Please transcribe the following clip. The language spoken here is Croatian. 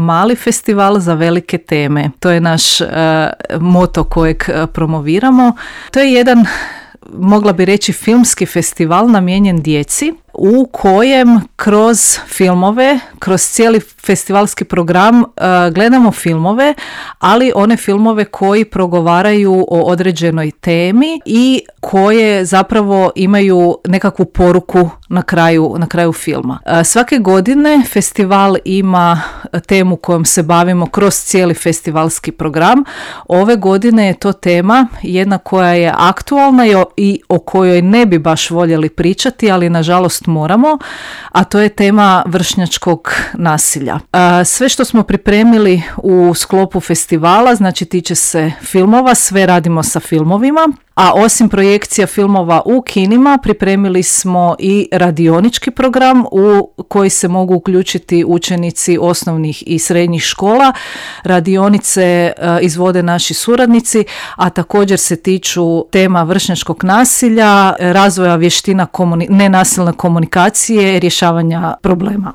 mali festival za velike teme. To je naš moto kojeg promoviramo. To je jedan, mogla bi reći, filmski festival namijenjen djeci, u kojem kroz filmove, kroz cijeli festivalski program gledamo filmove, ali one filmove koji progovaraju o određenoj temi i koje zapravo imaju nekakvu poruku na kraju filma. Svake godine festival ima temu kojom se bavimo kroz cijeli festivalski program. Ove godine je to tema jedna koja je aktualna i o kojoj ne bi baš voljeli pričati, ali nažalost moramo, a to je tema vršnjačkog nasilja. Sve što smo pripremili u sklopu festivala, znači tiče se filmova, sve radimo sa filmovima, a osim projekcija filmova u kinima pripremili smo i radionički program u koji se mogu uključiti učenici osnovnih i srednjih škola. Radionice izvode naši suradnici, a također se tiču tema vršnjačkog nasilja, razvoja vještina nenasilne komunikacije, rješavanja problema.